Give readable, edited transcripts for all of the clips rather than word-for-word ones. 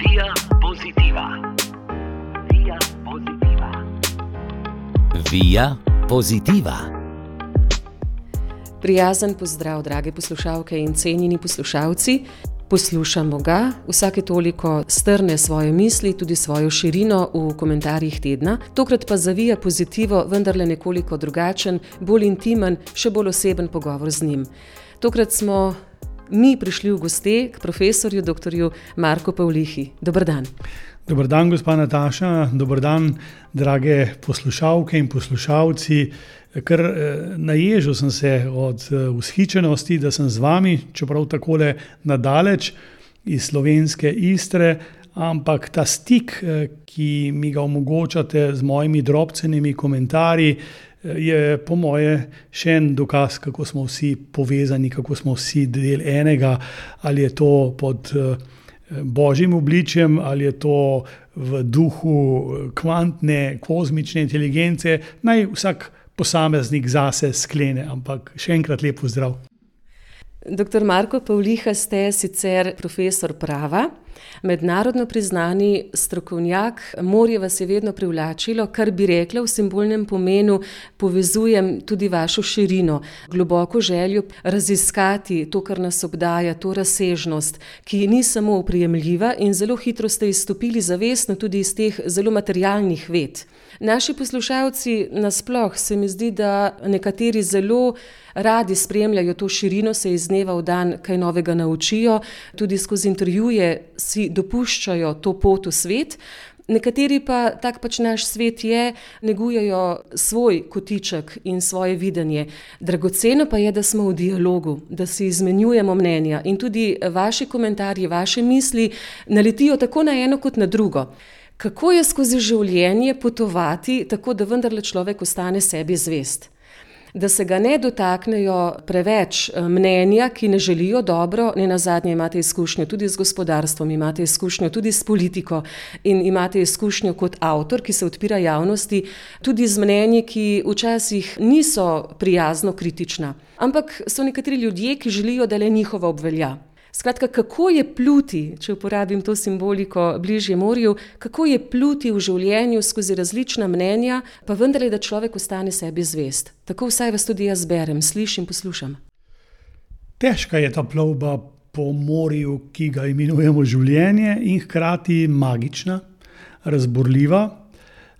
Via Positiva. Via Positiva. Via Positiva. Prijazen pozdrav, drage poslušalke in cenjeni poslušalci. Poslušamo ga, vsake toliko strne svoje misli, tudi svojo širino v komentarjih tedna. Tokrat pa za Via Positivo vendarle nekoliko drugačen, bolj intimen, še bolj oseben pogovor z njim. Tokrat smo mi prišli v goste k profesorju dr. Marku Pavlihi. Dober dan. Dober dan, gospa Nataša, dober dan, drage poslušalke in poslušalci. Kar naježil sem se od vzhičenosti, da sem z vami, čeprav takole nadaleč iz slovenske Istre, ampak ta stik, ki mi ga omogočate z mojimi drobcenimi komentarji, je po moje še en dokaz, kako smo vsi povezani, kako smo vsi del enega, ali je to pod božjim obličjem, ali je to v duhu kvantne, kozmične inteligence, naj vsak posameznik zase sklene, ampak še enkrat lep pozdrav. Dr. Marko Pavliha, ste sicer profesor prava, mednarodno priznani strokovnjak. Morje vas je vedno privlačilo, kar bi rekla v simbolnem pomenu, povezujem tudi vašo širino, globoko željo raziskati to, kar nas obdaja, to razsežnost, ki ni samo oprijemljiva, in zelo hitro ste izstopili zavestno tudi iz teh zelo materialnih ved. Naši poslušalci nasploh se mi zdi, da nekateri zelo radi spremljajo to širino, se iz dneva v dan kaj novega naučijo, tudi skozi intervjuje si dopuščajo to pot v svet. Nekateri pa, tak pač naš svet je, negujejo svoj kotiček in svoje videnje. Dragoceno pa je, da smo v dialogu, da si izmenjujemo mnenja in tudi vaši komentarji, vaše misli naletijo tako na eno kot na drugo. Kako je skozi življenje potovati tako, da vendarle človek ostane sebi zvest? Da se ga ne dotaknejo preveč mnenja, ki ne želijo dobro, ne nazadnje imate izkušnjo tudi z gospodarstvom, imate izkušnjo tudi s politiko in imate izkušnjo kot avtor, ki se odpira javnosti, tudi z mnenji, ki včasih niso prijazno kritična, ampak so nekateri ljudje, ki želijo, da le njihova obvelja. Skratka, kako je pluti, če uporabim to simboliko bližje morju, kako je pluti v življenju skozi različna mnenja, pa vendarle, da človek ostane sebi zvest. Tako vsaj vas tudi jaz berem, slišim, poslušam. Težka je ta plovba po morju, ki ga imenujemo življenje, in hkrati magična, razburljiva,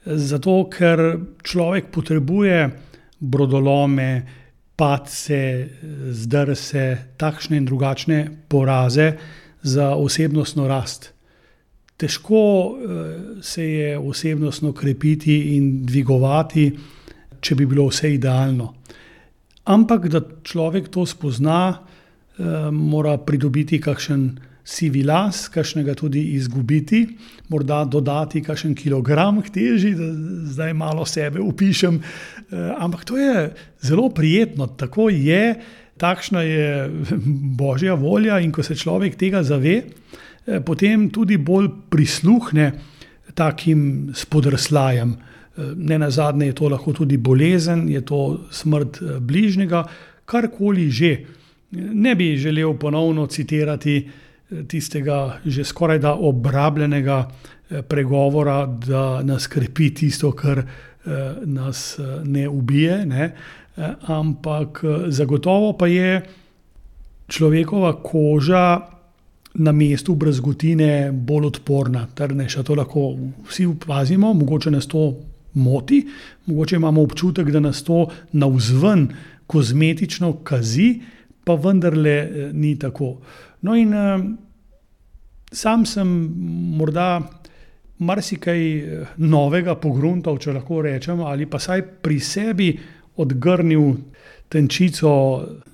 zato ker človek potrebuje brodolome, padce, zdrse, takšne in drugačne poraze za osebnostno rast. Težko se je osebnostno krepiti in dvigovati, če bi bilo vse idealno. Ampak, da človek to spozna, mora pridobiti kakšen sivi las, kakšnega tudi izgubiti, morda dodati kakšen kilogram k teži, da zdaj malo sebe upišem, ampak to je zelo prijetno, tako je, takšna je božja volja, in ko se človek tega zave, potem tudi bolj prisluhne takim spodrslajem. Nenazadnje je to lahko tudi bolezen, je to smrt bližnjega, karkoli že. Ne bi želel ponovno citirati tistega že skoraj da obrabljenega pregovora, da nas krepi tisto, kar nas ne ubije, ne? Ampak zagotovo pa je človekova koža na mestu brazgotine bolj odporna, trdnejša. To lahko vsi opazimo, mogoče nas to moti, mogoče imamo občutek, da nas to navzven kozmetično kazi, pa vendarle ni tako. No in sam sem morda marsikaj novega pogruntal, če lahko rečem, ali pa saj pri sebi odgrnil tenčico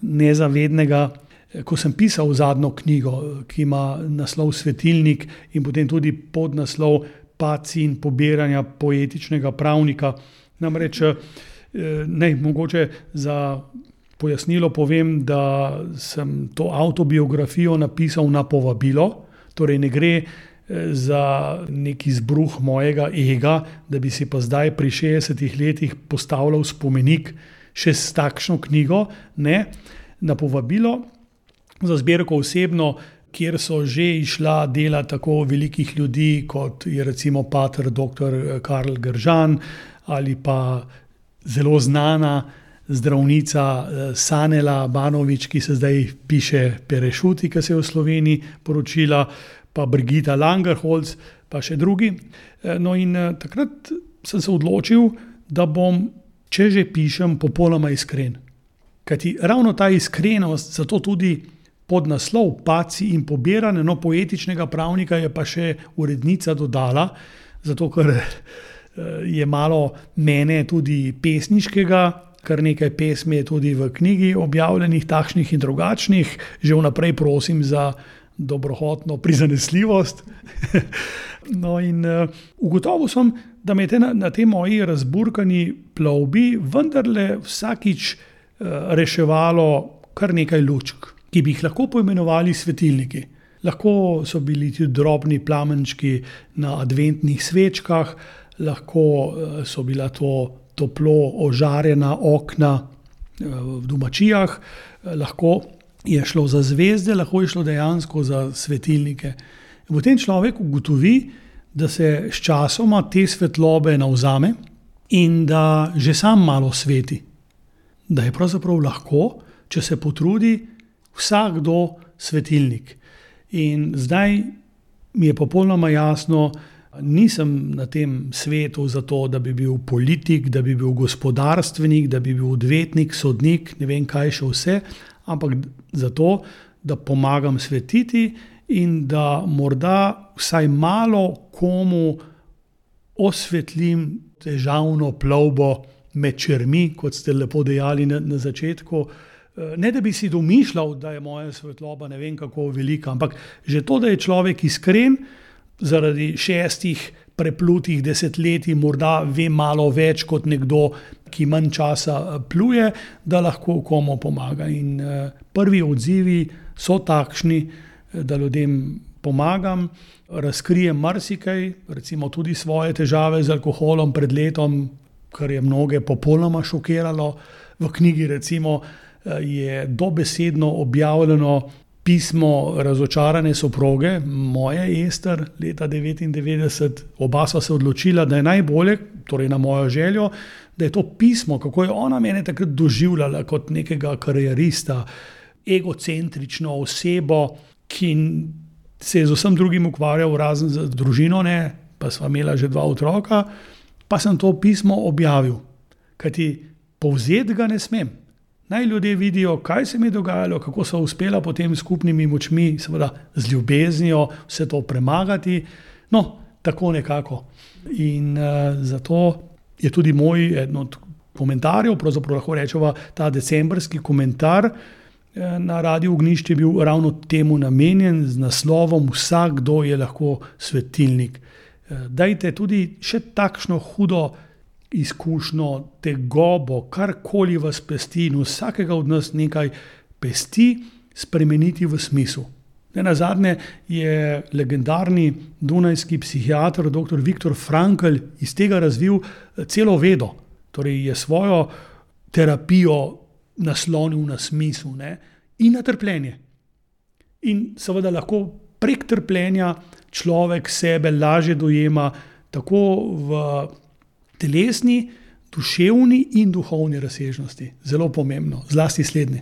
nezavednega, ko sem pisal zadnjo knjigo, ki ima naslov Svetilnik in potem tudi podnaslov Padci in pobiranja poetičnega pravnika. Namreč mogoče za pojasnilo povem, da sem to avtobiografijo napisal na povabilo, torej ne gre za nek izbruh mojega ega, da bi si pa zdaj pri 60 letih postavljal spomenik še s takšno knjigo, ne, na povabilo za zbirko Osebno, kjer so že išla dela tako velikih ljudi, kot je recimo pater dr. Karl Gržan ali pa zelo znana zdravnica Sanela Banović, ki se zdaj piše Perešuti, ki se je v Sloveniji poročila, pa Brigita Langerholz, pa še drugi. No in takrat sem se odločil, da bom, če že pišem, popolnoma iskren. Kajti ravno ta iskrenost, zato tudi podnaslov Paci in pobirane, no, poetičnega pravnika je pa še urednica dodala, zato ker je malo mene tudi pesniškega, kar nekaj pesmi je tudi v knjigi objavljenih, takšnih in drugačnih. Že vnaprej prosim za dobrohotno prizanesljivost. No in ugotovil sem, da me je na tej moji razburkani plovbi vendarle vsakič reševalo kar nekaj lučk, ki bi jih lahko poimenovali svetilniki. Lahko so bili tudi drobni plamenčki na adventnih svečkah, lahko so bila to toplo ožarjena okna v domačijah, lahko je šlo za zvezde, lahko je šlo dejansko za svetilnike. In potem človek ugotovi, da se s časoma te svetlobe navzame in da že sam malo sveti. Da je pravzaprav lahko, če se potrudi, vsakdo svetilnik. In zdaj mi je popolnoma jasno, nisem na tem svetu zato, da bi bil politik, da bi bil gospodarstvenik, da bi bil odvetnik, sodnik, ne vem kaj še vse, ampak zato, da pomagam svetiti in da morda vsaj malo komu osvetlim težavno plovbo med čermi, kot ste lepo dejali na začetku. Ne, da bi si domišljal, da je moja svetloba ne vem kako velika, ampak že to, da je človek iskren, zaradi 6 preplutih desetletij morda ve malo več kot nekdo, ki manj časa pluje, da lahko komu pomaga. In prvi odzivi so takšni, da ljudem pomagam, razkrijem marsikaj, recimo tudi svoje težave z alkoholom pred letom, kar je mnoge popolnoma šokiralo. V knjigi recimo je dobesedno objavljeno pismo razočarane soproge, moje Ester, leta 1999. Oba sva se odločila, da je najbolje, torej na mojo željo, da je to pismo, kako je ona mene takrat doživljala kot nekega karierista, egocentrično osebo, ki se je z vsem drugim ukvarjal razen z družino, ne, pa sva imela že 2 otroka, pa sem to pismo objavil. Kajti povzeti ga ne smem. Naj ljudje vidijo, kaj se mi je dogajalo, kako so uspela potem skupnimi močmi, seveda z ljubeznijo, vse to premagati. No, tako nekako. In zato je tudi moj eden od komentarjev, pravzaprav lahko rečeva ta decembrski komentar na Radiu Ognjišče je bil ravno temu namenjen z naslovom Vsakdo je lahko svetilnik. Dajte tudi še takšno hudo izkušnjo, tegobo, karkoli vas pesti in vsakega od nas nekaj pesti, spremeniti v smisel. Nazadnje je legendarni dunajski psihiater dr. Viktor Frankl iz tega razvil celo vedo. Torej je svojo terapijo naslonil na smisel, ne? In na trpljenje. In seveda lahko prek trpljenja človek sebe lažje dojema tako v telesni, duševni in duhovni razsežnosti. Zelo pomembno, zlasti slednje.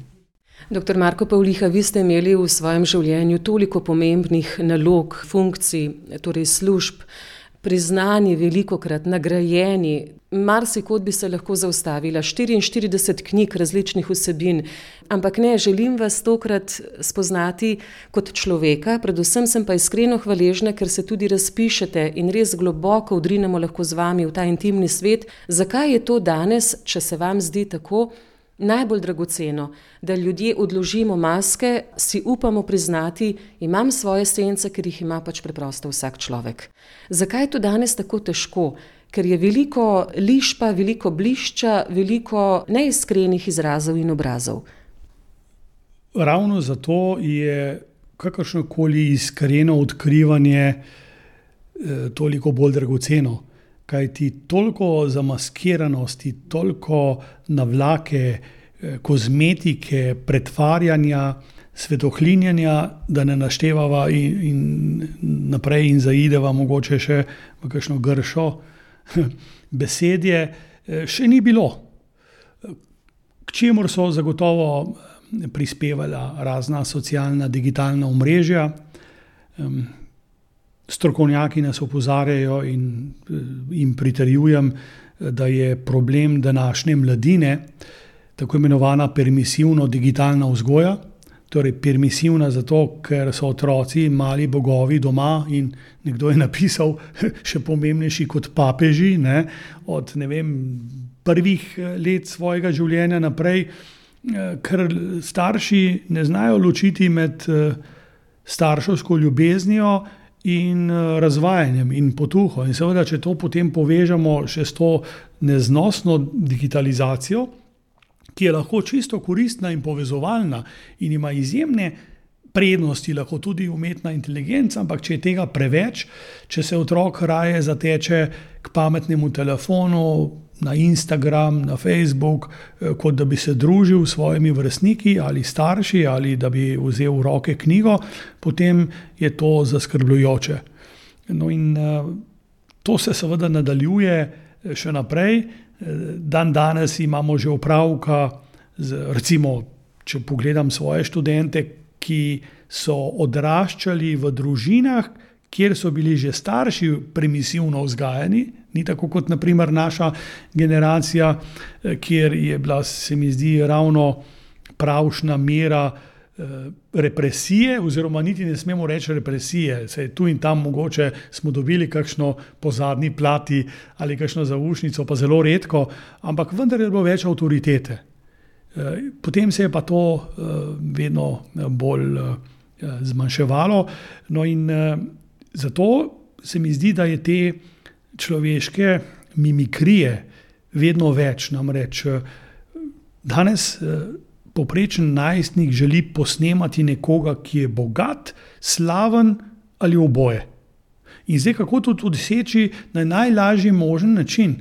Dr. Marko Pavliha, vi ste imeli v svojem življenju toliko pomembnih nalog, funkcij, torej služb, priznani, velikokrat nagrajeni. Marsikod bi se lahko zaustavila, 44 knjig različnih vsebin, ampak ne, želim vas tokrat spoznati kot človeka, predvsem sem pa iskreno hvaležna, ker se tudi razpišete in res globoko vdrinemo lahko z vami v ta intimni svet. Zakaj je to danes, če se vam zdi tako, najbolj dragoceno, da ljudje odložimo maske, si upamo priznati, imam svoje sence, ker jih ima pač preprosto vsak človek. Zakaj je to danes tako težko? Ker je veliko lišpa, veliko blišča, veliko neiskrenih izrazov in obrazov. Ravno zato je kakršnokoli iskreno odkrivanje toliko bolj dragoceno. Kaj ti toliko zamaskiranosti, toliko navlake, kozmetike, pretvarjanja svetohlinjanja, da ne naštevava in naprej in zaideva mogoče še v kakšno gršo besedje, še ni bilo. K čemur so zagotovo prispevala razna socialna, digitalna omrežja. Strokovnjaki nas opozarjajo in pritrjujem, da je problem današnje mladine tako imenovana permisivno digitalna vzgoja. Torej permisivna zato, ker so otroci mali bogovi doma in nekdo je napisal še pomembnejši kot papeži, ne, od prvih let svojega življenja naprej, ker starši ne znajo ločiti med starševsko ljubeznijo in razvajanjem in potuho. In seveda, če to potem povežemo še s to neznosno digitalizacijo, ki je lahko čisto koristna in povezovalna in ima izjemne prednosti, lahko tudi umetna inteligenca, ampak če je tega preveč, če se otrok raje zateče k pametnemu telefonu, na Instagram, na Facebook, kot da bi se družil s svojimi vrstniki ali starši ali da bi vzel v roke knjigo, potem je to zaskrbljujoče. No in to se seveda nadaljuje še naprej. Danes imamo že opravka recimo, če pogledam svoje študente, ki so odraščali v družinah, kjer so bili že starši permisivno vzgajani, ni tako kot na primer naša generacija, kjer je bila, se mi zdi, ravno pravšna mera represije, oziroma niti ne smemo reči represije, saj tu in tam mogoče smo dobili kakšno po zadnji plati ali kakšno zaušnico, pa zelo redko, ampak vendar je bilo več avtoritete. Potem se je pa to vedno bolj zmanjševalo. No in zato se mi zdi, da je te človeške mimikrije vedno več. Namreč danes povprečen najstnik želi posnemati nekoga, ki je bogat, slaven ali oboje. In zdaj, kako to doseči na najlažji možen način?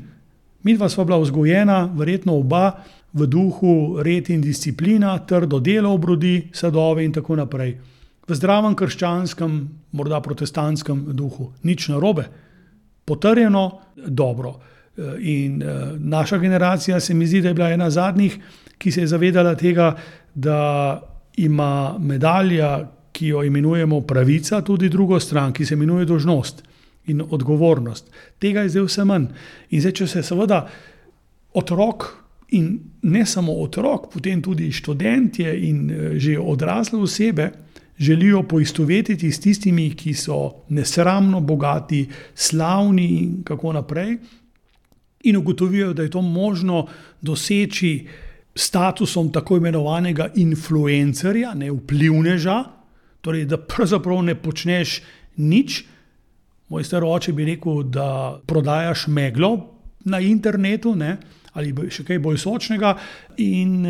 Midva sva bila vzgojena, verjetno oba, v duhu red in disciplina, trdo delo obrodi sadove in tako naprej. V zdravem krščanskem, morda protestantskem duhu. Nič narobe. Potrjeno, dobro. In naša generacija se mi zdi, da je bila ena zadnjih, ki se je zavedala tega, da ima medalja, ki jo imenujemo pravica, tudi drugo stran, ki se imenuje dolžnost in odgovornost. Tega je zdaj vse manj. In zdaj, če se seveda otrok in ne samo otrok, potem tudi študentje in že odrasle osebe želijo poistovetiti s tistimi, ki so nesramno bogati, slavni in kako naprej, in ugotovijo, da je to možno doseči statusom tako imenovanega influencerja, ne vplivneža, torej da pravzaprav ne počneš nič. Moj star oče bi rekel, da prodajaš meglo na internetu, ne, ali še kaj bolj sočnega, in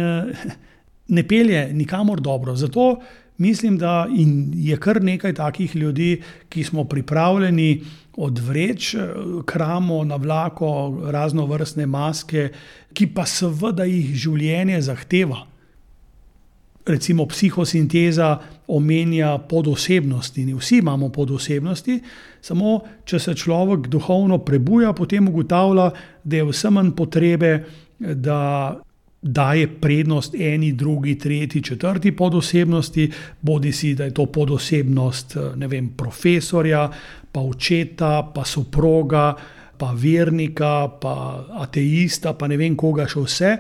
ne pelje nikamor dobro. Zato mislim, da je kar nekaj takih ljudi, ki smo pripravljeni odvreči kramo na vlako, raznovrstne maske, ki pa seveda jih življenje zahteva. Recimo psihosinteza omenja podosebnosti. Vsi imamo podosebnosti, samo če se človek duhovno prebuja, potem ugotavlja, da je vse manj potrebe, da daje prednost eni, drugi, tretji, četrti podosebnosti, bodisi da je to podosebnost, profesorja, pa očeta, pa soproga, pa vernika, pa ateista, pa ne vem koga še vse.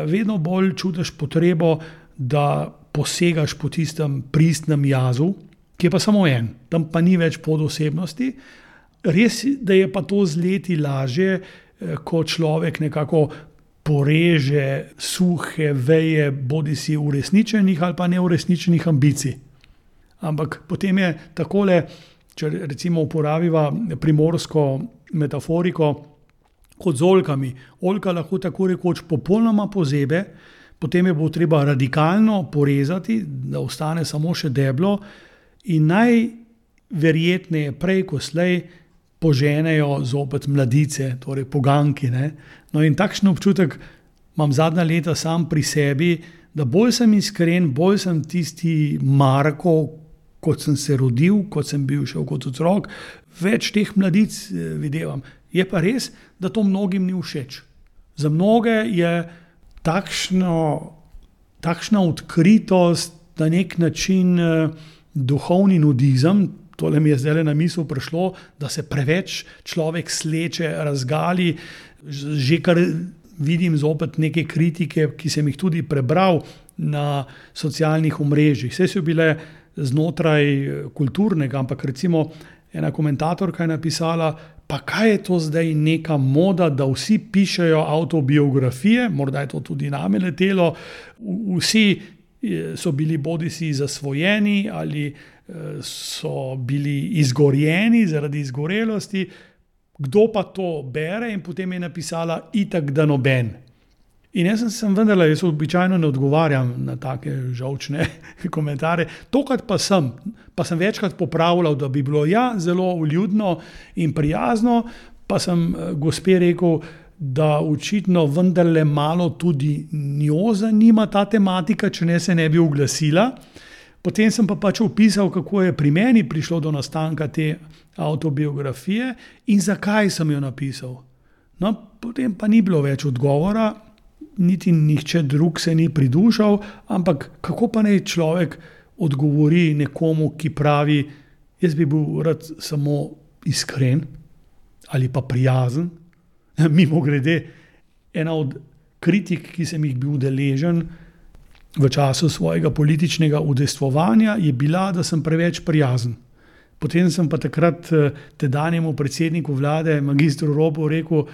Vedno bolj čutiš potrebo, da posegaš po tistem pristnem jazu, ki je pa samo en, tam pa ni več podosebnosti. Res, da je pa to z leti lažje, ko človek nekako poreže suhe veje bodisi uresničenih ali pa neuresničenih ambicij. Ampak potem je takole, če recimo uporabiva primorsko metaforiko, kot z oljkami. Oljka lahko tako rekoč popolnoma pozebe, potem je bo treba radikalno porezati, da ostane samo še deblo, in najverjetneje prej ko slej poženejo zopet mladice, torej poganki. Ne? No in takšen občutek imam zadnja leta sam pri sebi, da bolj sem iskren, bolj sem tisti Marko, kot sem se rodil, kot sem bil še kot otrok, več teh mladic videvam. Je pa res, da to mnogim ni všeč. Za mnoge je takšna odkritost, na nek način duhovni nudizem, tole mi je zdaj na misel prišlo, da se preveč človek sleče, razgali, že kar vidim zopet neke kritike, ki sem jih tudi prebral na socialnih omrežjih. Vse so bile znotraj kulturnega, ampak recimo ena komentatorka je napisala, pa kaj je to zdaj neka moda, da vsi pišejo avtobiografije, morda je to tudi name letelo, vsi so bili bodisi zasvojeni ali so bili izgorjeni zaradi izgorelosti, kdo pa to bere, in potem je napisala itak da noben. In jaz sem vendarle, jaz običajno ne odgovarjam na take žolčne komentarje, tokrat pa sem večkrat popravljal, da bi bilo zelo vljudno in prijazno, pa sem gospe rekel, da očitno vendarle malo tudi njo zanima ta tematika, če ne se ne bi oglasila. Potem sem pa pač opisal, kako je pri meni prišlo do nastanka te avtobiografije in zakaj sem jo napisal. No, potem pa ni bilo več odgovora, niti nihče drug se ni pridušal, ampak kako pa naj človek odgovori nekomu, ki pravi, jaz bi bil rad samo iskren ali pa prijazen. Mimogrede, ena od kritik, ki sem jih bil deležen v času svojega političnega udejstvovanja, je bila, da sem preveč prijazen. Potem sem pa takrat tedanjemu predsedniku vlade, magistru Robu, rekel,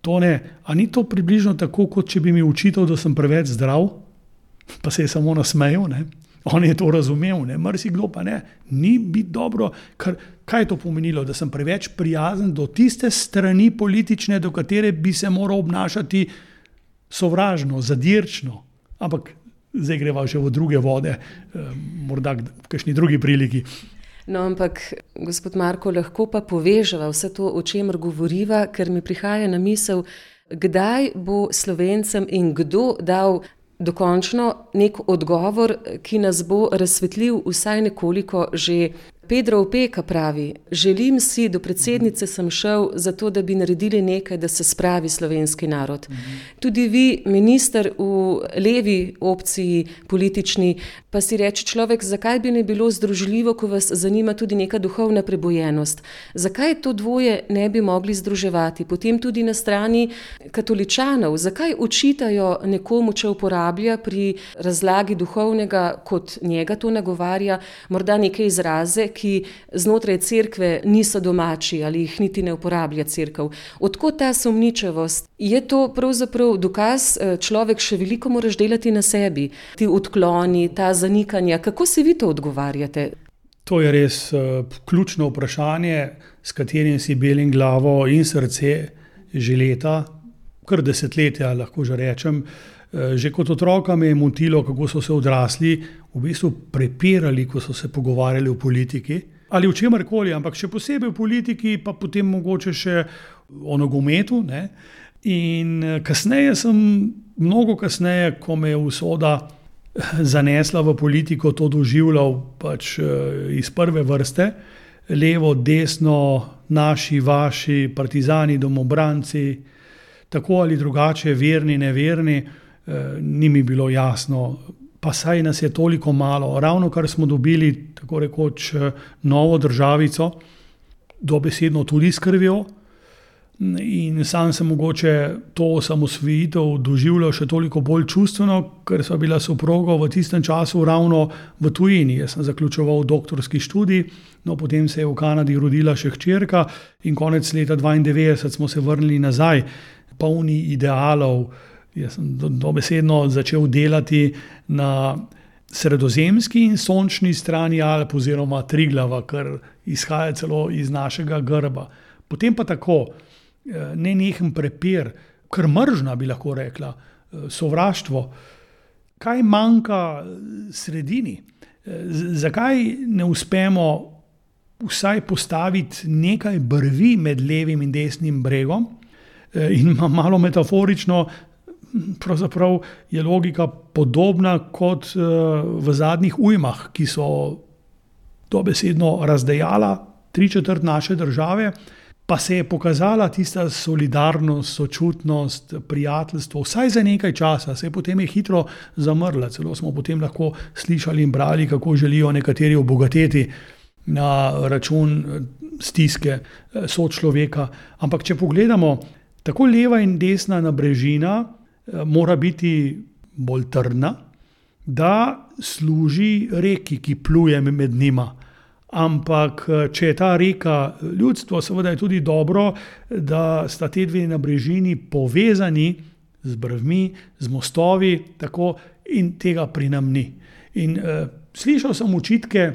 Tone, a ni to približno tako, kot če bi mi učitelj, da sem preveč zdrav? Pa se je samo nasmejal, ne? On je to razumel, ne? Marsikdo pa ne. Ni biti dobro, kaj je to pomenilo, da sem preveč prijazen do tiste strani politične, do katere bi se moral obnašati sovražno, zadirčno. Ampak zdaj greva že v druge vode, morda v kakšni drugi priliki. No, ampak, gospod Marko, lahko pa poveževa vse to, o čemer govoriva, ker mi prihaja na misel, kdaj bo Slovencem in kdo dal dokončno nek odgovor, ki nas bo razsvetlil vsaj nekoliko. Že Pedro Opeka pravi, želim si, do predsednice sem šel zato, da bi naredili nekaj, da se spravi slovenski narod. Tudi vi, minister v levi opciji politični, pa si reče človek, zakaj bi ne bilo združljivo, ko vas zanima tudi neka duhovna prebojenost. Zakaj to dvoje ne bi mogli združevati? Potem tudi na strani katoličanov, zakaj očitajo nekomu, če uporablja pri razlagi duhovnega, kot njega to nagovarja, morda neke izraze, ki znotraj cerkve niso domači ali jih niti ne uporablja cerkev. Odkot ta sumničavost? Je to pravzaprav dokaz, človek še veliko moraš delati na sebi, ti odkloni, ta zanikanja. Kako si vi to odgovarjate? To je res ključno vprašanje, s katerim si belim glavo in srce že leta, kar desetletja, lahko že rečem. Že kot otroka me je motilo, kako so se odrasli v bistvu prepirali, ko so se pogovarjali o politiki ali o čemarkoli, ampak še posebej o politiki, pa potem mogoče še o nogometu, ne? In kasneje mnogo kasneje, ko me je usoda zanesla v politiko, to doživljal pač iz prve vrste, levo, desno, naši, vaši, partizani, domobranci, tako ali drugače, verni, neverni, ni mi bilo jasno, pa saj nas je toliko malo. Ravno kar smo dobili, tako rekoč, novo državico, dobesedno tudi s krvjo, in sam sem mogoče to osamosvojitev doživljal še toliko bolj čustveno, ker sva bila soproga v tistem času ravno v tujini. Jaz sem zaključeval doktorski študij, no potem se je v Kanadi rodila še hčerka in konec leta 1992 smo se vrnili nazaj, polni idealov. Jaz sem dobesedno začel delati na sredozemski in sončni strani Alp oziroma Triglava, kar izhaja celo iz našega grba. Potem pa tako, nenehen prepir, kar mržnja bi lahko rekla, sovraštvo. Kaj manjka sredini? Zakaj ne uspemo vsaj postaviti nekaj brvi med levim in desnim bregom? In malo metaforično, pravzaprav je logika podobna kot v zadnjih ujmah, ki so dobesedno razdejala 3/4 naše države, pa se je pokazala tista solidarnost, sočutnost, prijateljstvo, vsaj za nekaj časa, se je potem hitro zamrla. Celo smo potem lahko slišali in brali, kako želijo nekateri obogateti na račun stiske sočloveka. Ampak če pogledamo, tako leva in desna nabrežina mora biti bolj trdna, da služi reki, ki pluje med njima. Ampak če je ta reka ljudstvo, seveda je tudi dobro, da sta te dve nabrežini povezani z brvmi, z mostovi, tako, in tega pri nam ni. In slišal sem očitke,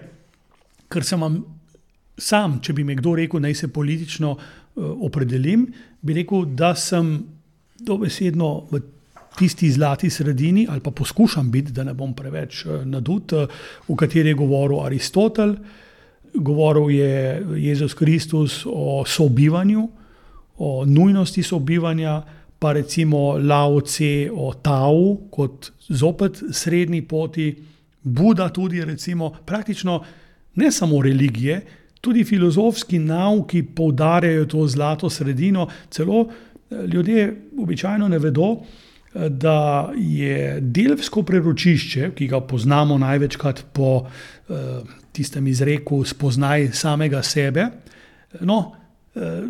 ker sem vam sam, če bi me kdo rekel, naj se politično opredelim, bi rekel, da sem dobesedno v tisti zlati sredini, ali pa poskušam biti, da ne bom preveč nadut, v kateri je govoril Aristotel, govoril je Jezus Kristus o sobivanju, o nujnosti sobivanja, pa recimo Lao Tse o Tao kot zopet srednji poti, Buda tudi recimo, praktično ne samo religije, tudi filozofski nauki poudarjajo to zlato sredino, celo ljudje običajno ne vedo, da je delfsko preročišče, ki ga poznamo največkrat po tistem izreku spoznaj samega sebe,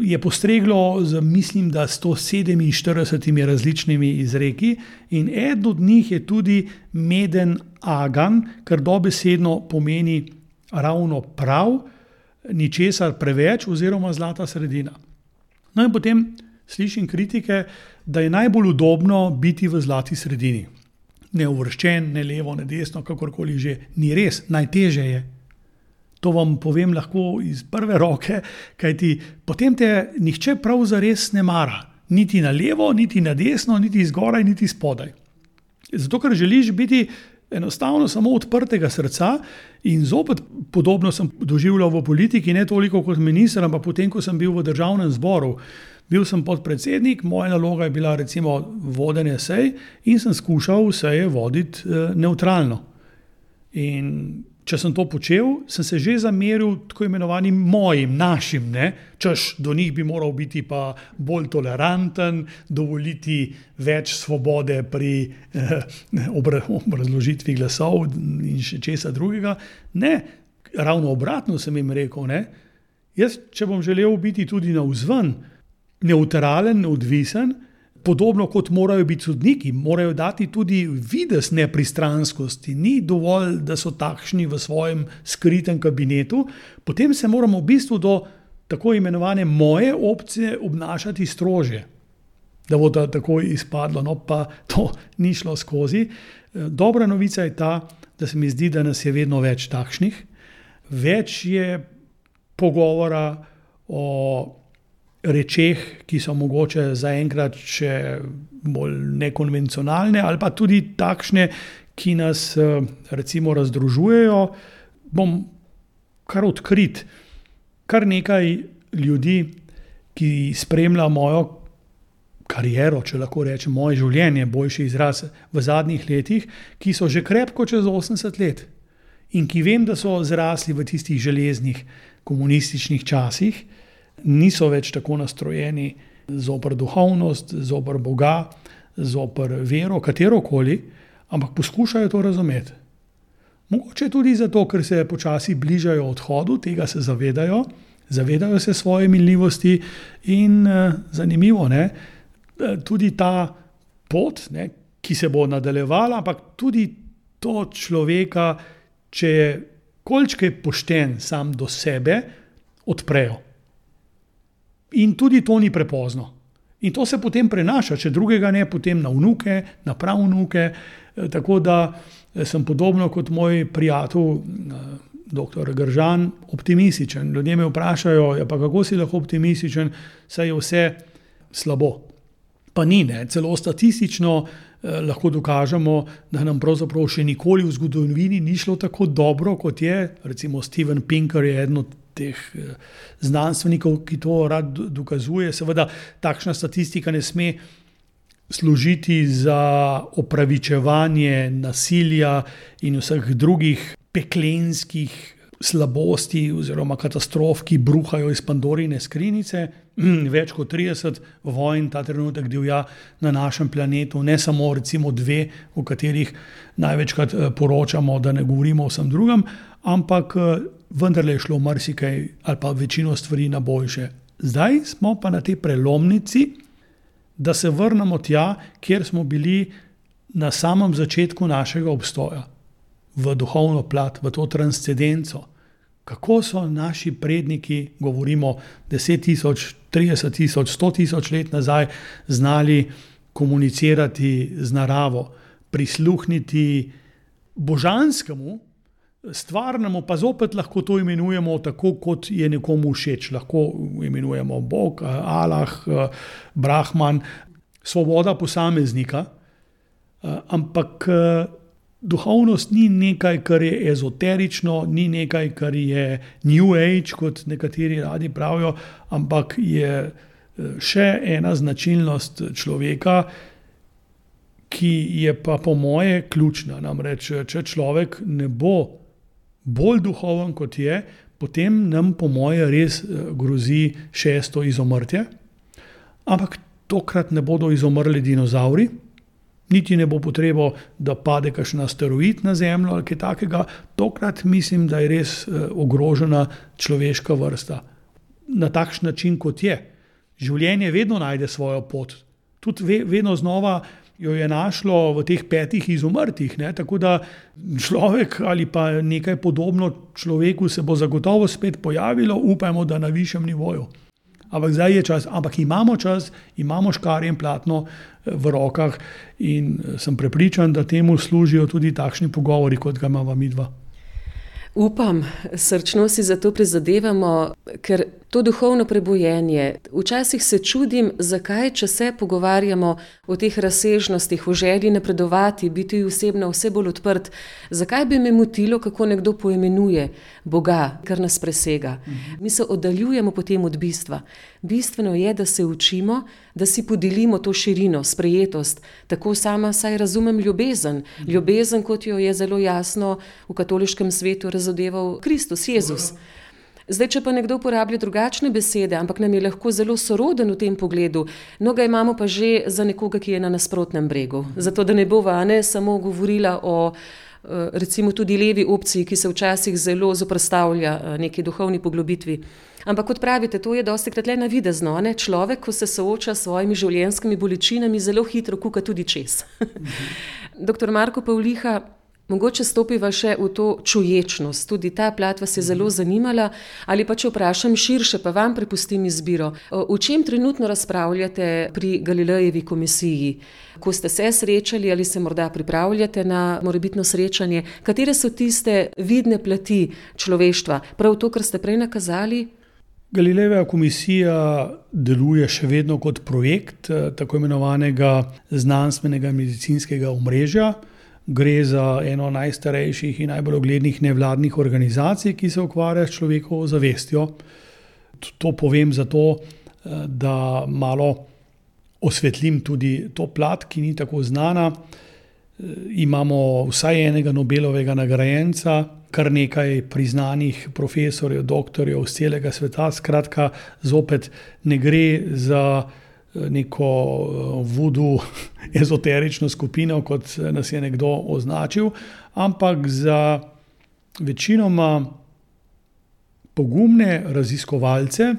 je postreglo z, mislim, da 147 različnimi izreki in eden od njih je tudi meden agan, kar dobesedno pomeni ravno prav, ničesar preveč oziroma zlata sredina. No in potem slišim kritike, da je najbolj udobno biti v zlati sredini. Ne uvrščen, ne levo, ne desno, kakorkoli že. Ni res, najtežje je. To vam povem lahko iz prve roke, kajti potem te nihče prav zares ne mara. Niti na levo, niti na desno, niti zgoraj, niti spodaj. Zato, ker želiš biti enostavno samo odprtega srca in zopet podobno sem doživljal v politiki, ne toliko kot minister, ampak potem, ko sem bil v državnem zboru. Bil sem podpredsednik, moja naloga je bila recimo vodenje sej in sem skušal seje voditi nevtralno. In če sem to počel, sem se že zameril tako imenovanim mojim, našim, češ do njih bi moral biti pa bolj toleranten, dovoliti več svobode pri obrazložitvi glasov in še česa drugega. Ne, ravno obratno sem jim rekel, jaz, če bom želel biti tudi navzven, nevtralen, neodvisen, podobno kot morajo biti sodniki, morajo dati tudi videz nepristranskosti. Ni dovolj, da so takšni v svojem skritem kabinetu, potem se moramo v bistvu do tako imenovane moje opcije obnašati strožje. Da bo to tako izpadlo, pa to ni šlo skozi. Dobra novica je ta, da se mi zdi, da nas je vedno več takšnih. Več je pogovora o rečeh, ki so mogoče zaenkrat še bolj nekonvencionalne ali pa tudi takšne, ki nas recimo razdružujejo. Bom kar odkrit. Kar nekaj ljudi, ki spremlja mojo kariero, če lahko rečem, moje življenje, boljši izraz, v zadnjih letih, ki so že krepko čez 80 let in ki vem, da so zrasli v tistih železnih komunističnih časih, niso več tako nastrojeni zoper duhovnost, zoper Boga, zoper vero, katerokoli, ampak poskušajo to razumeti. Mogoče tudi zato, ker se počasi bližajo odhodu, tega se zavedajo se svoje minljivosti in zanimivo, tudi ta pot, ki se bo nadaljevala, ampak tudi to človeka, če je kolikškaj pošten sam do sebe, odprejo. In tudi to ni prepozno. In to se potem prenaša, če drugega ne, potem na vnuke, na pravnuke, tako da sem podobno kot moj prijatelj, dr. Gržan, optimističen. Ljudje me vprašajo, pa kako si lahko optimističen, saj je vse slabo. Pa ni, celo statistično lahko dokažemo, da nam pravzaprav še nikoli v zgodovini ni šlo tako dobro, kot je. Recimo Steven Pinker je eden od teh znanstvenikov, ki to rad dokazuje. Seveda takšna statistika ne sme služiti za opravičevanje nasilja in vseh drugih peklenskih slabosti oziroma katastrof, ki bruhajo iz Pandorine skrinjice. Več kot 30 vojn ta trenutek divja na našem planetu, ne samo recimo 2, o katerih največkrat poročamo, da ne govorimo o vsem drugem, ampak vendarle je šlo marsikaj ali pa večino stvari na boljše. Zdaj smo pa na tej prelomnici, da se vrnemo tja, kjer smo bili na samem začetku našega obstoja, v duhovno plat, v to transcendenco. Kako so naši predniki, govorimo 10.000, 30.000, 100.000 let nazaj, znali komunicirati z naravo, prisluhniti božanskemu, stvarnemu, pa zopet lahko to imenujemo tako, kot je nekomu všeč. Lahko imenujemo Bog, Allah, Brahman, svoboda posameznika, ampak duhovnost ni nekaj, kar je ezoterično, ni nekaj, kar je New Age, kot nekateri radi pravijo, ampak je še ena značilnost človeka, ki je pa po moje ključna. Namreč, če človek ne bo bolj duhoven, kot je, potem nam po moje res grozi 6. izumrtje. Ampak tokrat ne bodo izumrli dinozauri, niti ne bo potrebo, da pade kakšen asteroid na Zemljo ali kaj takega. Tokrat mislim, da je res ogrožena človeška vrsta. Na takšen način, kot je. Življenje vedno najde svojo pot. Tudi vedno znova jo je našlo v teh 5 izumrtih. Tako da človek ali pa nekaj podobno človeku se bo zagotovo spet pojavilo, upajmo, da na višjem nivoju. Ampak zdaj je čas, ampak imamo čas, imamo škarje in platno v rokah in sem prepričan, da temu služijo tudi takšni pogovori, kot ga imamo midva. Upam, srčno si za to prizadevamo, ker to duhovno prebojenje, včasih se čudim, zakaj, če se pogovarjamo o teh razsežnostih, o želji napredovati, biti osebno vse bolj odprt, zakaj bi me motilo, kako nekdo poimenuje Boga, kar nas presega. Mi se oddaljujemo potem od bistva. Bistveno je, da se učimo, da si podelimo to širino, sprejetost. Tako sama saj razumem ljubezen. Ljubezen, kot jo je zelo jasno v katoliškem svetu razodeval Kristus, Jezus. Zdaj, če pa nekdo uporablja drugačne besede, ampak nam je lahko zelo soroden v tem pogledu, no ga imamo pa že za nekoga, ki je na nasprotnem bregu. Zato, da ne bova samo govorila o recimo tudi levi opciji, ki se včasih zelo zoperstavlja neki duhovni poglobitvi. Ampak kot pravite, to je dostikrat le navidezno. Človek, ko se sooča s svojimi življenjskimi bolečinami, zelo hitro kuka tudi čez. Doktor Marko Pavliha, mogoče stopiva še v to čuječnost. Tudi ta plat vas je zelo zanimala. Ali pa če vprašam širše, pa vam prepustim izbiro. O čem trenutno razpravljate pri Galilejevi komisiji? Ko ste se srečali ali se morda pripravljate na morebitno srečanje? Katere so tiste vidne plati človeštva? Prav to, kar ste prej nakazali? Galilejeva komisija deluje še vedno kot projekt tako imenovanega znanstvenega medicinskega omrežja. Gre za eno najstarejših in najbolj uglednih nevladnih organizacij, ki se ukvarja s človekovo zavestjo. To povem zato, da malo osvetlim tudi to plat, ki ni tako znana. Imamo vsaj enega Nobelovega nagrajenca, kar nekaj priznanih profesorjev, doktorjev z celega sveta. Skratka, zopet ne gre za neko voodoo ezoterično skupino, kot nas je nekdo označil, ampak za večinoma pogumne raziskovalce,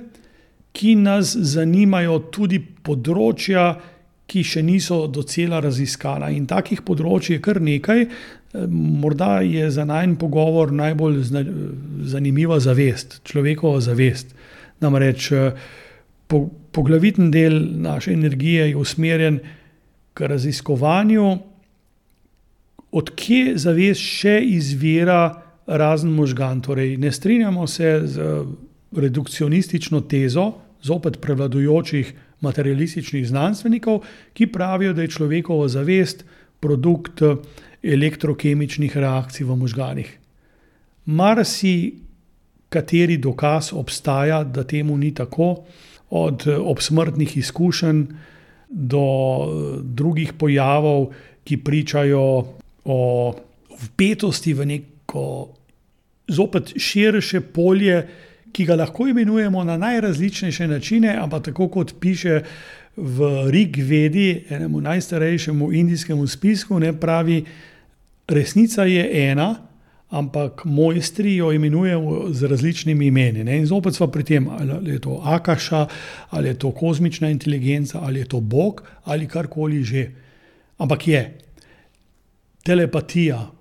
ki nas zanimajo tudi področja, ki še niso docela raziskana. In takih področij je kar nekaj. Morda je za najin pogovor najbolj zanimiva zavest, človekova zavest. Namreč poglaviten del naše energije je usmerjen k raziskovanju, od kje zavest še izvira razen možgan. Torej, ne strinjamo se z redukcionistično tezo, zopet prevladujočih materialističnih znanstvenikov, ki pravijo, da je človekova zavest produkt elektrokemičnih reakcij v možganih. Kateri dokaz obstaja, da temu ni tako, od obsmrtnih izkušenj do drugih pojavov, ki pričajo o vpetosti v neko zopet širše polje, ki ga lahko imenujemo na najrazličnejše načine, ampak tako kot piše v Rig Vedi, enemu najstarejšemu indijskemu spisku, ne, pravi, resnica je ena, ampak mojstri jo imenujemo z različnimi imeni. Ne? In zopet smo pri tem, ali je to Akaša, ali je to kozmična inteligenca, ali je to Bog, ali karkoli že. Ampak je telepatija,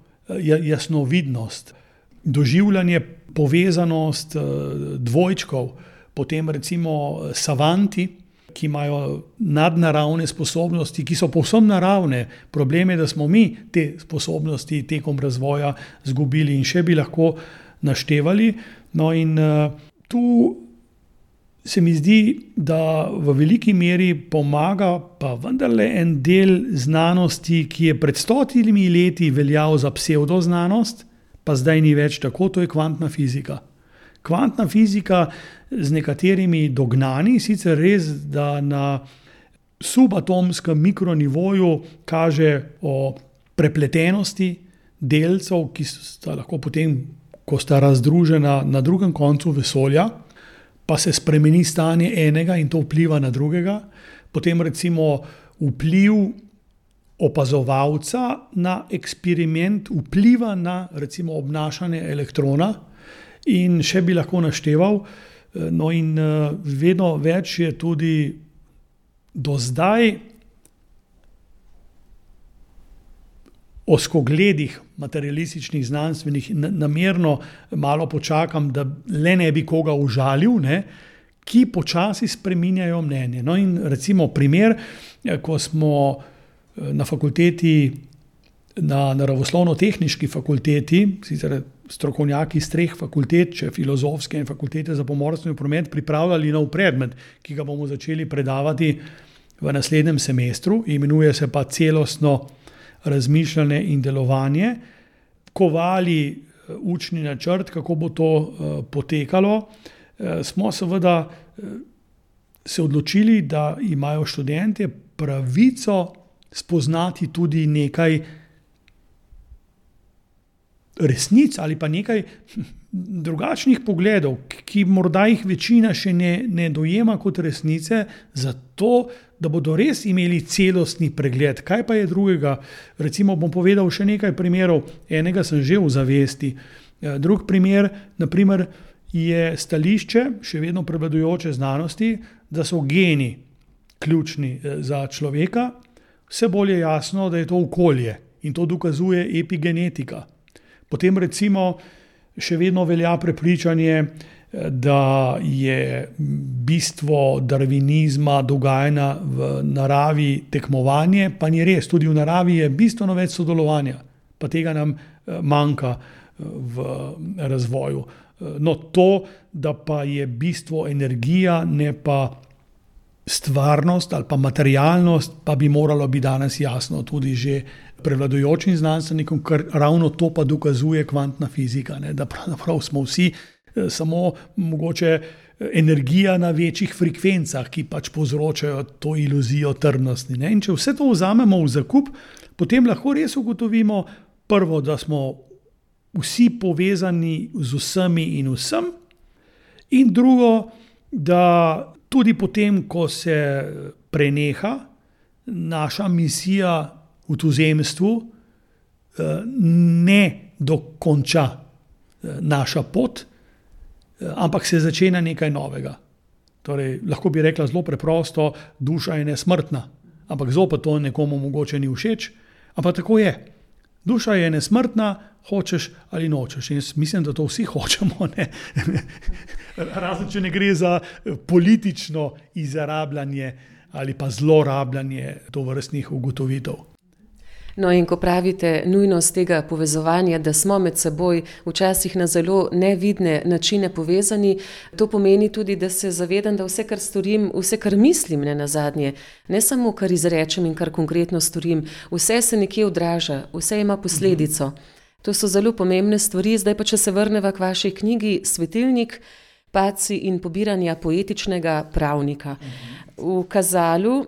jasnovidnost, doživljanje, povezanost dvojčkov, potem recimo savanti, ki imajo nadnaravne sposobnosti, ki so povsem naravne. Problem je, da smo mi te sposobnosti tekom razvoja zgubili in še bi lahko naštevali. No in tu se mi zdi, da v veliki meri pomaga pa vendarle en del znanosti, ki je pred 100 leti veljal za psevdoznanost, pa zdaj ni več tako, to je kvantna fizika. Kvantna fizika z nekaterimi dognani, sicer res, da na subatomskem mikronivoju kaže o prepletenosti delcev, ki sta lahko potem, ko sta razdružena na drugem koncu vesolja, pa se spremeni stanje enega in to vpliva na drugega. Potem recimo vpliv opazovalca na eksperiment vpliva na recimo obnašanje elektrona in še bi lahko našteval. No in vedno več je tudi do zdaj ozkogledih materialističnih znanstvenih, namerno malo počakam, da le ne bi koga užalil, ne, ki počasi spreminjajo mnenje. No in recimo primer, ko smo na fakulteti, na naravoslovno-tehniški fakulteti, sicer strokovnjaki iz 3 fakultet, če filozofske in fakultete za pomorstvo in promet, pripravljali nov predmet, ki ga bomo začeli predavati v naslednjem semestru, imenuje se pa celostno razmišljanje in delovanje, kovali učni načrt, kako bo to potekalo. Smo seveda se odločili, da imajo študentje pravico spoznati tudi nekaj resnic ali pa nekaj drugačnih pogledov, ki morda jih večina še ne dojema kot resnice, zato da bodo res imeli celostni pregled. Kaj pa je drugega? Recimo bom povedal še nekaj primerov. Enega sem že v zavesti. Drug primer, naprimer, je stališče, še vedno prevladujoče znanosti, da so geni ključni za človeka. Vse bolj je jasno, da je to okolje in to dokazuje epigenetika. Potem recimo še vedno velja prepričanje, da je bistvo darvinizma, dogajanja v naravi tekmovanje, pa ni res, tudi v naravi je bistveno več sodelovanja, pa tega nam manjka v razvoju. No to, da pa je bistvo energija, ne pa stvarnost ali pa materialnost, pa bi moralo biti danes jasno tudi že prevladujočim znanstvenikom, ker ravno to pa dokazuje kvantna fizika, ne, da pravzaprav smo vsi samo mogoče energija na večjih frekvencah, ki pač povzročajo to iluzijo trdnosti. Ne. In če vse to vzamemo v zakup, potem lahko res ugotovimo prvo, da smo vsi povezani z vsemi in vsem, in drugo, da tudi potem, ko se preneha naša misija v tuzemstvu, ne dokonča naša pot, ampak se začenja nekaj novega. Torej, lahko bi rekla zelo preprosto, duša je nesmrtna, ampak zopet to nekomu mogoče ni všeč, ampak tako je. Duša je nesmrtna, hočeš ali nočeš. In jaz mislim, da to vsi hočemo. Ne? Razen, če ne gre za politično izrabljanje ali pa zlorabljanje tovrstnih ugotovitev. No in ko pravite nujnost tega povezovanja, da smo med seboj včasih na zelo nevidne načine povezani, to pomeni tudi, da se zavedam, da vse, kar storim, vse, kar mislim, ne nazadnje, ne samo, kar izrečem in kar konkretno storim, vse se nekje odraža, vse ima posledico. To so zelo pomembne stvari. Zdaj pa, če se vrneva k vaši knjigi Svetilnik, padci in pobiranja poetičnega pravnika. V Kazalu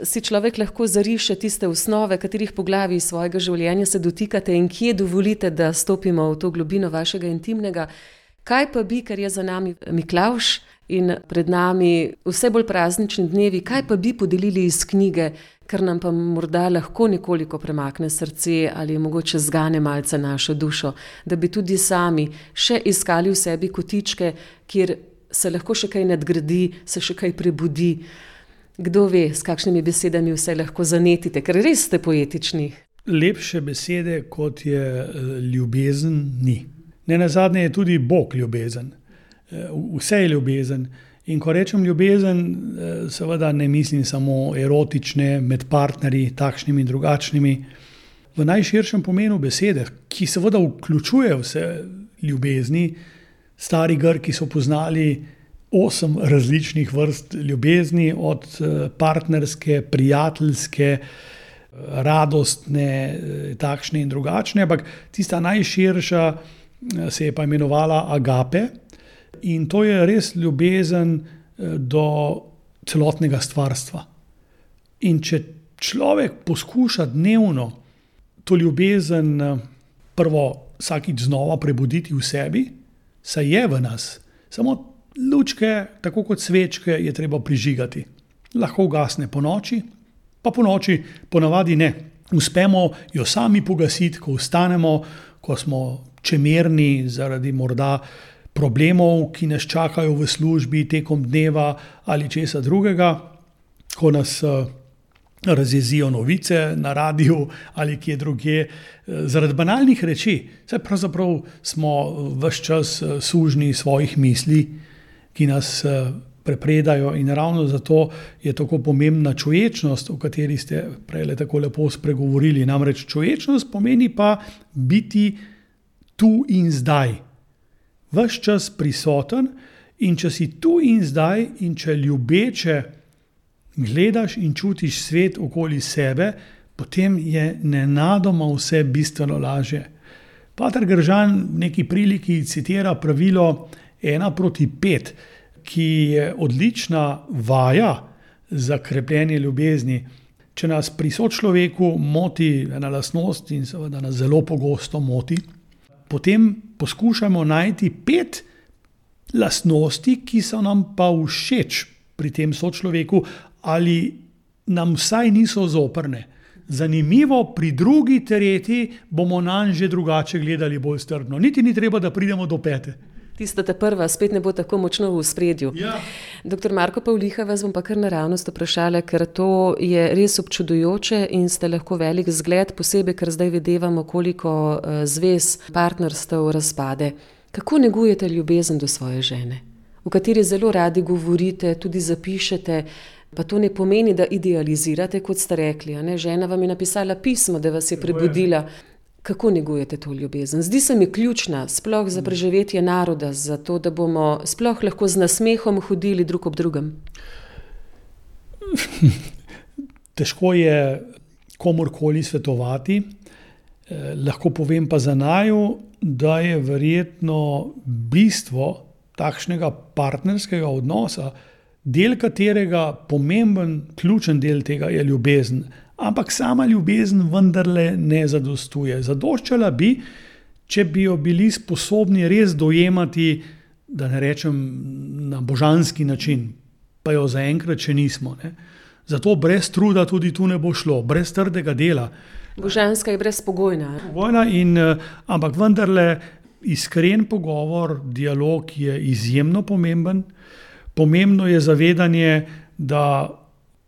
si človek lahko zariše tiste osnove, katerih poglavij svojega življenja se dotikate in kje dovolite, da stopimo v to globino vašega intimnega. Kaj pa bi, ker je za nami Miklavž in pred nami vse bolj praznični dnevi, kaj pa bi podelili iz knjige, kar nam pa morda lahko nekoliko premakne srce ali mogoče zgane malce našo dušo, da bi tudi sami še iskali v sebi kotičke, kjer se lahko še kaj nadgradi, se še kaj prebudi. Kdo ve, s kakšnimi besedami vse lahko zanetite, ker res ste poetični. Lepše besede, kot je ljubezen, ni. Nenazadnje je tudi Bog ljubezen. Vse je ljubezen. In ko rečem ljubezen, seveda ne mislim samo erotične, med partnerji, takšnimi in drugačnimi. V najširšem pomenu besede, ki seveda vključuje vse ljubezni. Stari Grki so poznali 8 različnih vrst ljubezni, od partnerske, prijateljske, radostne, takšne in drugačne, ampak tista najširša se je pa imenovala agape. In to je res ljubezen do celotnega stvarstva. In če človek poskuša dnevno to ljubezen prvo vsakič znova prebuditi v sebi, saj je v nas, samo lučke, tako kot svečke, je treba prižigati. Lahko ugasne ponoči, pa ponoči ponavadi ne. Uspemo jo sami pogasiti, ko vstanemo, ko smo čemerni zaradi morda problemov, ki nas čakajo v službi tekom dneva ali česa drugega, ko nas razjezijo novice na radiju ali kje drugje, zaradi banalnih reči. Saj pravzaprav smo ves čas sužnji svojih misli, ki nas prepredajo, in ravno zato je tako pomembna čuječnost, o kateri ste prej tako lepo spregovorili. Namreč čuječnost pomeni pa biti tu in zdaj. Ves čas prisoten, in če si tu in zdaj in če ljubeče gledaš in čutiš svet okoli sebe, potem je nenadoma vse bistveno lažje. Pater Gržan v neki priliki citira pravilo 1:5, ki je odlična vaja za krepljenje ljubezni. Če nas pri sočloveku moti ena lastnost, in seveda nas zelo pogosto moti, potem poskušamo najti 5 lastnosti, ki so nam pa všeč pri tem sočloveku ali nam vsaj niso zoprne. Zanimivo, pri drugi, tretji bomo nanj že drugače gledali, bolj strpno. Niti ni treba, da pridemo do 5. Tista ta prva spet ne bo tako močno v ospredju. Ja. Dr. Marko Pavliha, vas bom pa kar naravnost vprašala, ker to je res občudujoče in ste lahko velik zgled, posebej, ker zdaj videvamo, koliko zvez, partnerstev razpade. Kako negujete ljubezen do svoje žene, o kateri zelo radi govorite, tudi zapišete, pa to ne pomeni, da idealizirate, kot ste rekli, a ne? Žena vam je napisala pismo, da vas je prebudila. Kako negujete to ljubezen? Zdi se mi ključna, sploh za preživetje naroda, za to, da bomo sploh lahko z nasmehom hodili drug ob drugem. Težko je komorkoli svetovati. Lahko povem pa za naju, da je verjetno bistvo takšnega partnerskega odnosa, del katerega pomemben, ključen del tega je ljubezen. Ampak sama ljubezen vendarle ne zadostuje. Zadoščala bi, če bi jo bili sposobni res dojemati, da ne rečem na božanski način, pa jo zaenkrat še nismo. Ne? Zato brez truda tudi tu ne bo šlo, brez trdega dela. Božanska je brezpogojna. Ampak vendarle iskren pogovor, dialog je izjemno pomemben. Pomembno je zavedanje, da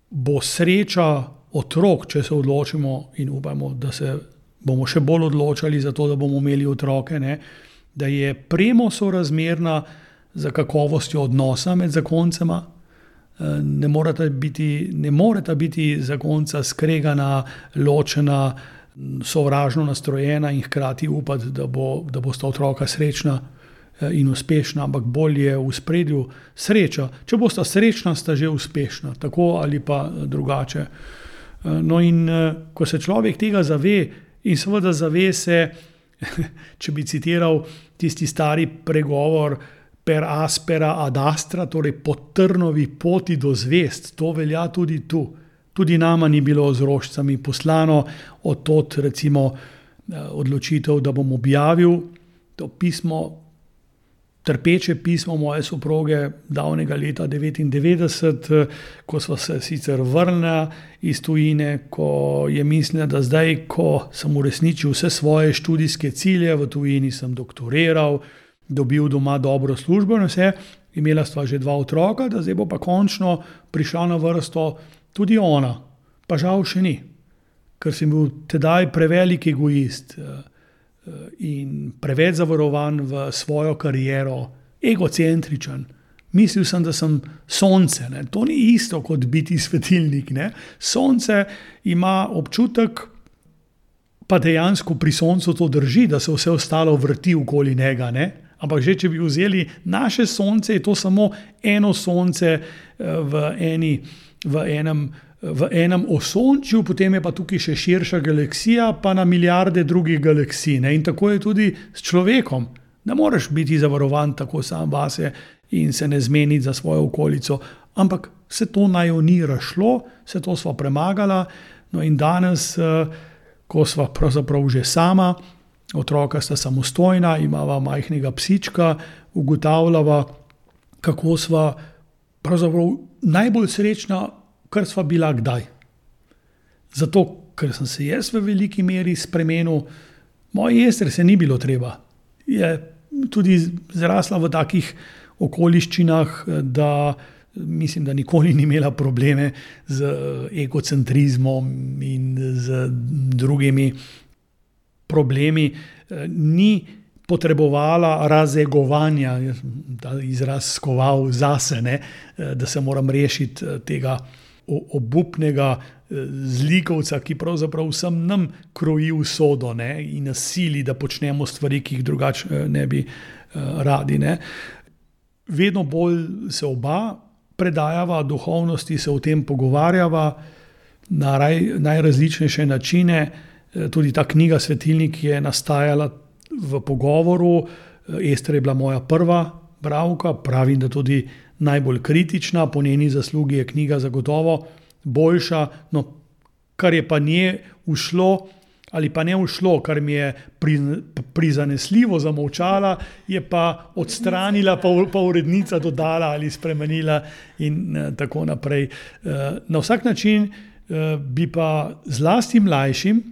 bo sreča otrok, če se odločimo, in upamo, da se bomo še bolj odločali za to, da bomo imeli otroke, ne, da je premo sorazmerna za kakovostjo odnosa med zakoncema. Ne moreta biti zakonca skregana, ločena, sovražno nastrojena in hkrati upati, da bosta otroka srečna in uspešna, ampak bolj je v spredju sreča. Če bosta srečna, sta že uspešna, tako ali pa drugače. No, in ko se človek tega zave, in seveda zave se, če bi citiral tisti stari pregovor, per aspera ad astra, torej po trnovi poti do zvezd, to velja tudi tu. Tudi nama ni bilo z rožicami poslano, od tod recimo odločitev, da bom objavil to pismo, trpeče pismo moje soproge davnega leta 1999, ko sva se sicer vrnila iz tujine, ko je mislila, da zdaj, ko sem uresničil vse svoje študijske cilje, v tujini sem doktoriral, dobil doma dobro službo in vse, imela sva že 2 otroka, da zdaj bo pa končno prišla na vrsto tudi ona, pa žal še ni, ker sem bil tedaj prevelik egoist in preveč zavarovan v svojo kariero, egocentričen. Mislil sem, da sem sonce. Ne? To ni isto kot biti svetilnik. Ne? Sonce ima občutek, pa dejansko pri soncu to drži, da se vse ostalo vrti okoli njega. Ne? Ampak že, če bi vzeli naše sonce, je to samo eno sonce v enem osončju, potem je pa tukaj še širša galaksija, pa na milijarde drugih galaksij. Ne? In tako je tudi s človekom. Ne moreš biti zavarovan tako sam vase in se ne zmeniti za svojo okolico. Ampak se to naju ni razšlo, se to sva premagala. No in danes, ko sva pravzaprav že sama, otroka sta samostojna, imava majhnega psička, ugotavljava, kako sva pravzaprav najbolj srečna, kar sva bila kdaj. Zato, ker sem se jaz v veliki meri spremenil, moji Ester se ni bilo treba. Je tudi zrasla v takih okoliščinah, da mislim, da nikoli ni imela probleme z egocentrizmom in z drugimi problemi. Ni potrebovala razegovanja, ta izraz skoval zase, ne, da se moram rešiti tega obupnega zlikovca, ki pravzaprav vsem nam kroji usodo, ne, in nas sili, da počnemo stvari, ki jih drugače ne bi radi. Ne. Vedno bolj se oba predajava duhovnosti, se o tem pogovarjava na najrazličnejše načine. Tudi ta knjiga Svetilnik je nastajala v pogovoru. Ester je bila moja prva bralka, pravim, da tudi najbolj kritična, po njeni zaslugi je knjiga zagotovo boljša, no, kar je pa nje ušlo ali pa ne ušlo, kar mi je prizanesljivo zamolčala, je pa odstranila, pa urednica dodala ali spremenila in tako naprej. Na vsak način bi pa zlasti mlajšim,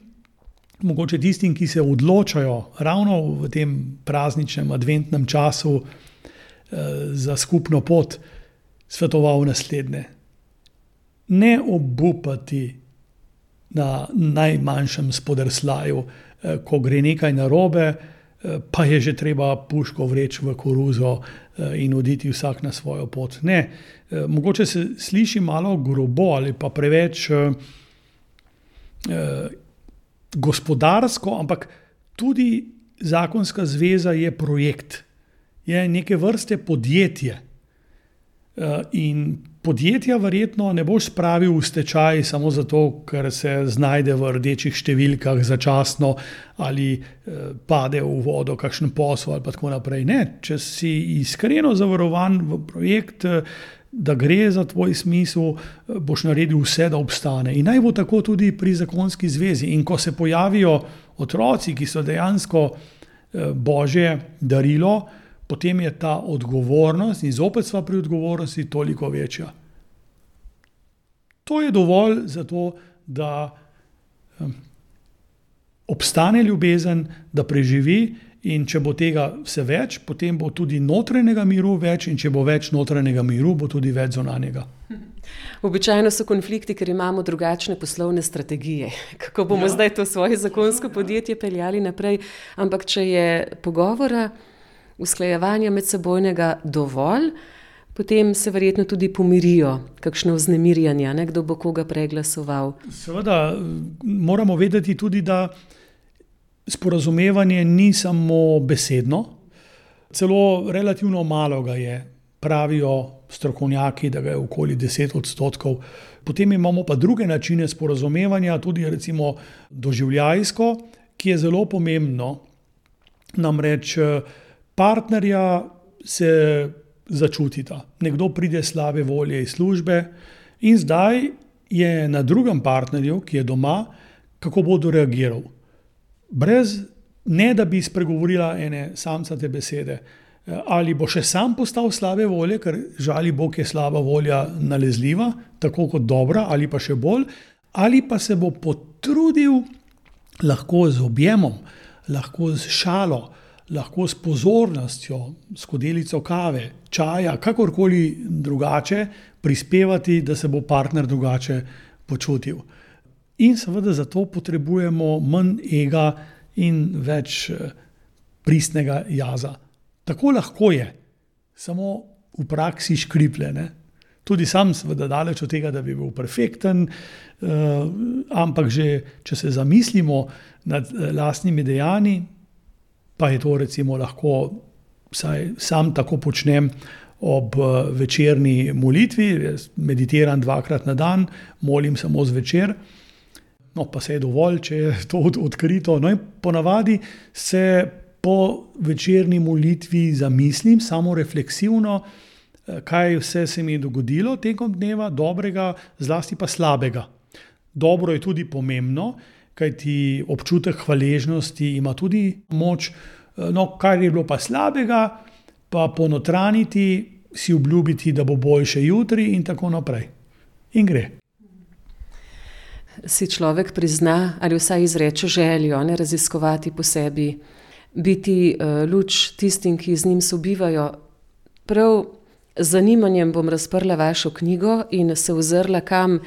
mogoče tistim, ki se odločajo ravno v tem prazničnem adventnem času za skupno pot, svetoval naslednje. Ne obupati na najmanjšem spodrsljaju, ko gre nekaj narobe, pa je že treba puško vreči v koruzo in oditi vsak na svojo pot. Ne, mogoče se sliši malo grobo ali pa preveč gospodarsko, ampak tudi zakonska zveza je projekt. Je neke vrste podjetje. In podjetja verjetno ne boš spravil v stečaj samo zato, ker se znajde v rdečih številkah začasno ali pade v vodo kakšen posel ali pa tako naprej. Ne, če si iskreno zavarovan v projekt, da gre za tvoj smisel, boš naredil vse, da obstane. In naj bo tako tudi pri zakonski zvezi. In ko se pojavijo otroci, ki so dejansko Božje darilo, potem je ta odgovornost, in zopet sva pri odgovornosti, toliko večja. To je dovolj za to, da obstane ljubezen, da preživi, in če bo tega vse več, potem bo tudi notranjega miru več, in če bo več notranjega miru, bo tudi več zunanjega. Običajno so konflikti, ker imamo drugačne poslovne strategije. Kako bomo zdaj to svoje zakonsko podjetje peljali naprej? Ampak če je pogovora, usklajevanja medsebojnega dovolj, potem se verjetno tudi pomirijo kakšno vznemirjanje, kdo bo koga preglasoval. Seveda moramo vedeti tudi, da sporazumevanje ni samo besedno, celo relativno malo ga je, pravijo strokovnjaki, da ga je okoli 10%. Potem imamo pa druge načine sporazumevanja, tudi recimo doživljajsko, ki je zelo pomembno. Namreč partnerja se začutita. Nekdo pride slabe volje iz službe in zdaj je na drugem partnerju, ki je doma, kako bo reagiral. Brez ne, da bi spregovorila ene samcate besede. Ali bo še sam postal slabe volje, ker žali Bog je slaba volja nalezljiva, tako kot dobra, ali pa še bolj, ali pa se bo potrudil lahko z objemom, lahko z šalo, lahko s pozornostjo, s skodelico kave, čaja, kakorkoli drugače prispevati, da se bo partner drugače počutil. In seveda zato potrebujemo manj ega in več pristnega jaza. Tako lahko je, samo v praksi škriplje, ne? Tudi sam seveda daleč od tega, da bi bil perfekten, ampak že, če se zamislimo nad lastnimi dejanji, pa je to recimo lahko, saj sam tako počnem ob večerni molitvi, jaz meditiram 2-krat na dan, molim samo zvečer, no pa se je dovolj, če je to odkrito. No in ponavadi se po večerni molitvi zamislim, samo refleksivno, kaj vse se mi je dogodilo tekom dneva, dobrega, zlasti pa slabega. Dobro je tudi pomembno, kajti občutek hvaležnosti ima tudi moč, no kar je bilo pa slabega, pa ponotraniti, si obljubiti, da bo boljše jutri in tako naprej. In gre. Si človek prizna ali vsaj izreče željo, ne raziskovati po sebi, biti luč tistim, ki z njim sobivajo. Prav z zanimanjem bom razprla vašo knjigo in se ozrla, kam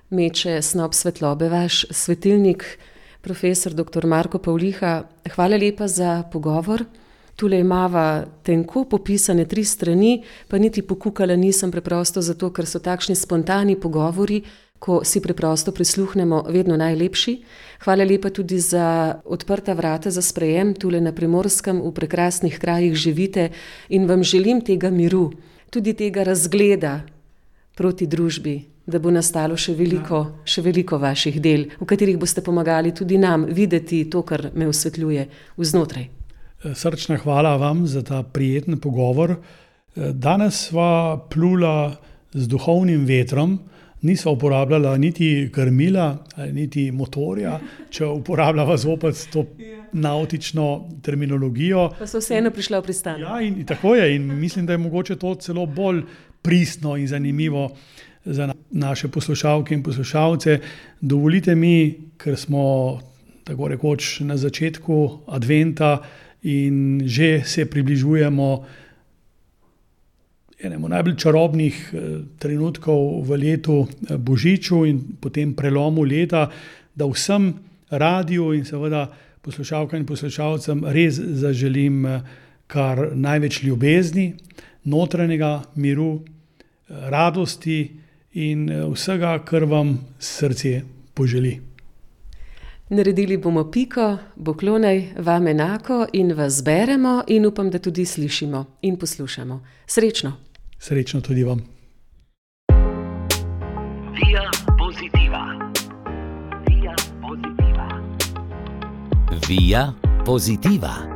meče snop svetlobe vaš svetilnik, profesor dr. Marko Pavliha. Hvala lepa za pogovor. Tule imava tenko popisane 3 strani, pa niti pokukala nisem, preprosto zato, ker so takšni spontani pogovori, ko si preprosto prisluhnemo, vedno najlepši. Hvala lepa tudi za odprta vrata za sprejem tule na Primorskem, v prekrasnih krajih živite in vam želim tega miru, tudi tega razgleda proti družbi, da bo nastalo še veliko vaših del, v katerih boste pomagali tudi nam videti to, kar me osvetljuje vznotraj. Srčna hvala vam za ta prijeten pogovor. Danes sva plula z duhovnim vetrom, nisva uporabljala niti krmila, niti motorja, če uporabljava zopet to nautično terminologijo. Pa so vseeno prišla v pristan. Ja, in tako je. In mislim, da je mogoče to celo bolj pristno in zanimivo za naše poslušalke in poslušalce. Dovolite mi, ker smo tako rekoč na začetku adventa in že se približujemo enemu najbolj čarobnih trenutkov v letu Božiču in potem prelomu leta, da vsem radiju in seveda poslušalkam in poslušalcem res zaželim kar največ ljubezni, notranjega miru, radosti in vsega, kar vam srce poželi. Naredili bomo piko, poklonaj vam enako in vas beremo in upam, da tudi slišimo in poslušamo. Srečno! Srečno tudi vam. Via Positiva. Via Positiva. Via Positiva.